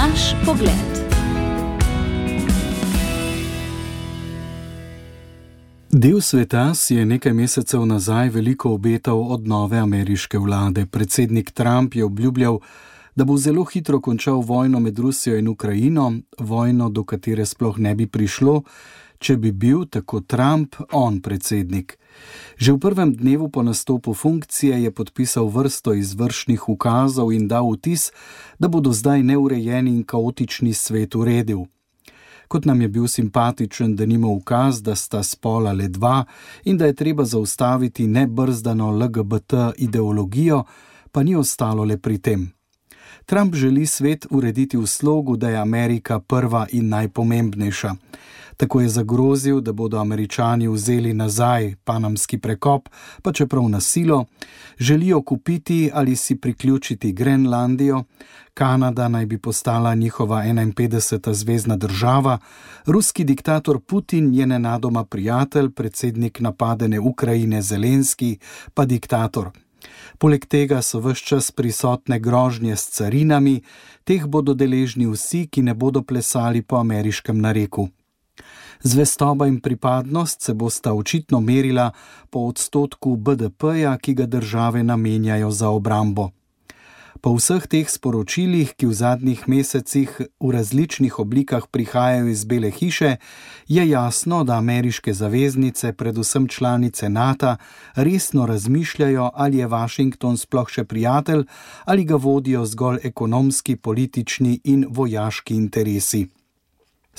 Vaš pogled. Del sveta si je nekaj mesecev nazaj veliko obetal od nove ameriške vlade. Predsednik Trump je obljubljal, da bo zelo hitro končal vojno med Rusijo in Ukrajino, vojno, do katere sploh ne bi prišlo, če bi bil, tako Trump, on predsednik. Že v prvem dnevu po nastopu funkcije je podpisal vrsto izvršnih ukazov in dal vtis, da bodo zdaj neurejeni in kaotični svet uredil. Kot nam je bil simpatičen denimo ukaz, da sta spola le dva in da je treba zaustaviti nebrzdano LGBT ideologijo, pa ni ostalo le pri tem. Trump želi svet urediti v slogu, da je Amerika prva in najpomembnejša. Tako je zagrozil, da bodo Američani vzeli nazaj panamski prekop, pa čeprav na silo, želijo kupiti ali si priključiti Grenlandijo, Kanada naj bi postala njihova 51. zvezna država, ruski diktator Putin je nenadoma prijatelj, predsednik napadene Ukrajine Zelenski pa diktator. Poleg tega so ves čas prisotne grožnje s carinami, teh bodo deležni vsi, ki ne bodo plesali po ameriškem nareku. Zvestoba in pripadnost se bosta očitno merila po odstotku BDP-ja, ki ga države namenjajo za obrambo. Po vseh teh sporočilih, ki v zadnjih mesecih v različnih oblikah prihajajo iz Bele hiše, je jasno, da ameriške zaveznice, predvsem članice NATO, resno razmišljajo, ali je Washington sploh še prijatelj ali ga vodijo zgolj ekonomski, politični in vojaški interesi.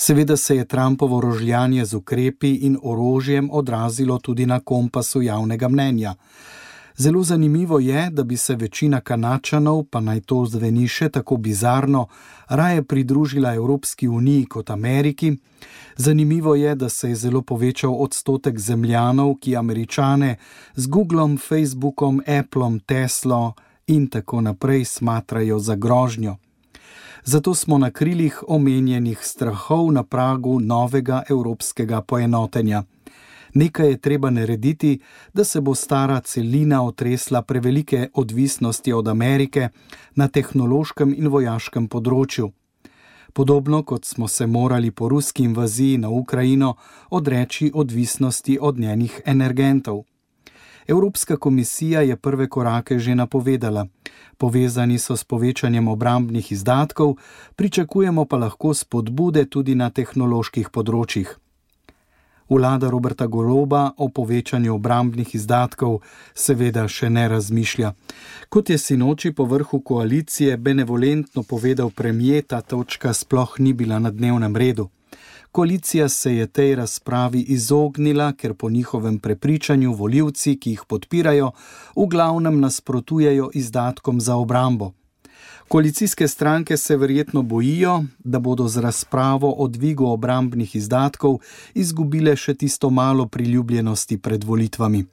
Seveda se je Trumpovo rožljanje z ukrepi in orožjem odrazilo tudi na kompasu javnega mnenja. Zelo zanimivo je, da bi se večina Kanadčanov, pa naj to zveni še tako bizarno, raje pridružila Evropski uniji kot Ameriki. Zanimivo je, da se je zelo povečal odstotek zemljanov, ki Američane z Googlom, Facebookom, Applom, Teslo in tako naprej smatrajo za grožnjo. Zato smo na krilih omenjenih strahov na pragu novega evropskega poenotenja. Nekaj je treba narediti, da se bo stara celina otresla prevelike odvisnosti od Amerike na tehnološkem in vojaškem področju. Podobno kot smo se morali po ruski invaziji na Ukrajino odreči odvisnosti od njenih energentov. Evropska komisija je prve korake že napovedala. Povezani so s povečanjem obrambnih izdatkov, pričakujemo pa lahko spodbude tudi na tehnoloških področjih. Vlada Roberta Goloba o povečanju obrambnih izdatkov seveda še ne razmišlja. Kot je sinoči po vrhu koalicije benevolentno povedal premier, ta točka sploh ni bila na dnevnem redu. Koalicija se je tej razpravi izognila, ker po njihovem prepričanju volivci, ki jih podpirajo, v glavnem nasprotujejo izdatkom za obrambo. Koalicijske stranke se verjetno bojijo, da bodo z razpravo o dvigu obrambnih izdatkov izgubile še tisto malo priljubljenosti pred volitvami.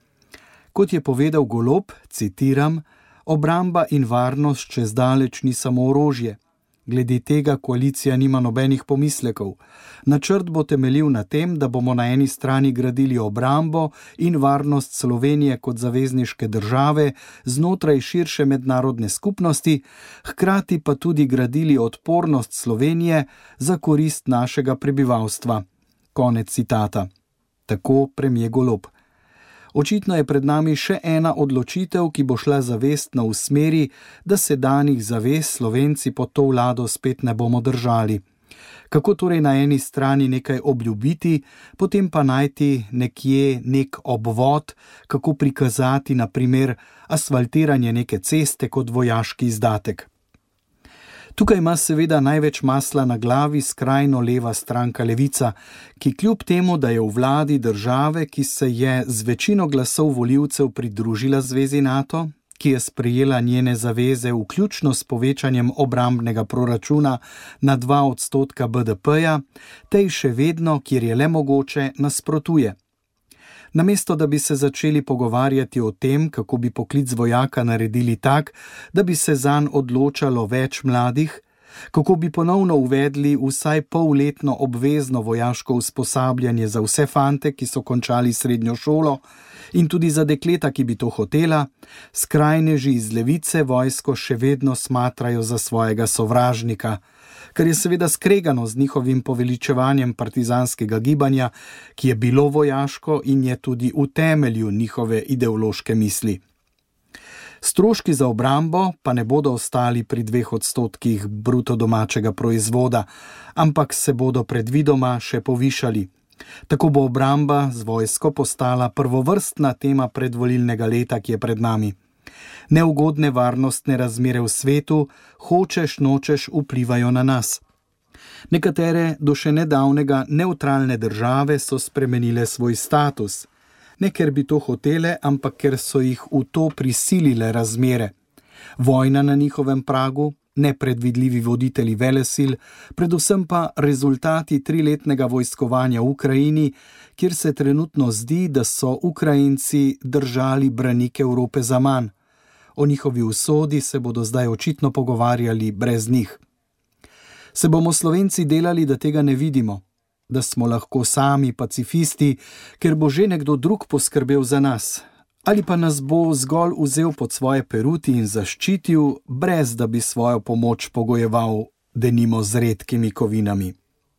Kot je povedal Golob, citiram, obramba in varnost čez daleč ni samo orožje. Glede tega koalicija nima nobenih pomislekov. Načrt bo temeljil na tem, da bomo na eni strani gradili obrambo in varnost Slovenije kot zavezniške države znotraj širše mednarodne skupnosti, hkrati pa tudi gradili odpornost Slovenije za korist našega prebivalstva. Konec citata. Tako premier Golob. Očitno je pred nami še ena odločitev, ki bo šla zavestno v smeri, da se danih zavez Slovenci pod to vlado spet ne bomo držali. Kako torej na eni strani nekaj obljubiti, potem pa najti nekje nek obvod, kako prikazati na primer asfaltiranje neke ceste kot vojaški izdatek. Tukaj ima seveda največ masla na glavi skrajno leva stranka Levica, ki kljub temu, da je v vladi države, ki se je z večino glasov volivcev pridružila zvezi NATO, ki je sprejela njene zaveze vključno s povečanjem obrambnega proračuna na 2% BDP-ja, tej še vedno, kjer je le mogoče, nasprotuje. Namesto da bi se začeli pogovarjati o tem, kako bi poklic vojaka naredili tak, da bi se zanj odločalo več mladih, kako bi ponovno uvedli vsaj polletno obvezno vojaško usposabljanje za vse fante, ki so končali srednjo šolo, in tudi za dekleta, ki bi to hotela, skrajneži iz levice vojsko še vedno smatrajo za svojega sovražnika, kar je seveda skregano z njihovim poveličevanjem partizanskega gibanja, ki je bilo vojaško in je tudi v temelju njihove ideološke misli. Stroški za obrambo pa ne bodo ostali pri 2% bruto domačega proizvoda, ampak se bodo predvidoma še povišali. Tako bo obramba z vojsko postala prvovrstna tema predvolilnega leta, ki je pred nami. Neugodne varnostne razmere v svetu, hočeš nočeš, vplivajo na nas. Nekatere do še nedavnega nevtralne države so spremenile svoj status. Ne ker bi to hotele, ampak ker so jih v to prisilile razmere. Vojna na njihovem pragu, nepredvidljivi voditelji velesil, predvsem pa rezultati 3-letnega vojskovanja v Ukrajini, kjer se trenutno zdi, da so Ukrajinci držali branike Evrope zaman. O njihovi usodi se bodo zdaj očitno pogovarjali brez njih. Se bomo Slovenci delali, da tega ne vidimo? Da smo lahko sami pacifisti, ker bo že nekdo drug poskrbel za nas? Ali pa nas bo zgolj vzel pod svoje peruti in zaščitil, brez da bi svojo pomoč pogojeval denimo z redkimi kovinami?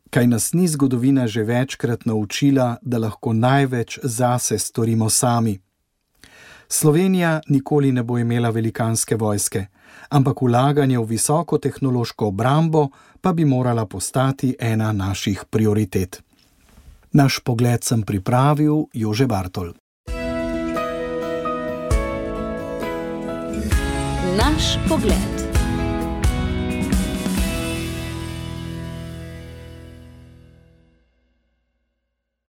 Kaj nas ni zgodovina že večkrat naučila, da lahko največ zase storimo sami? Slovenija nikoli ne bo imela velikanske vojske, ampak vlaganje v visoko tehnološko obrambo pa bi morala postati ena naših prioritet. Naš pogled sem pripravil Jože Bartol. Naš pogled.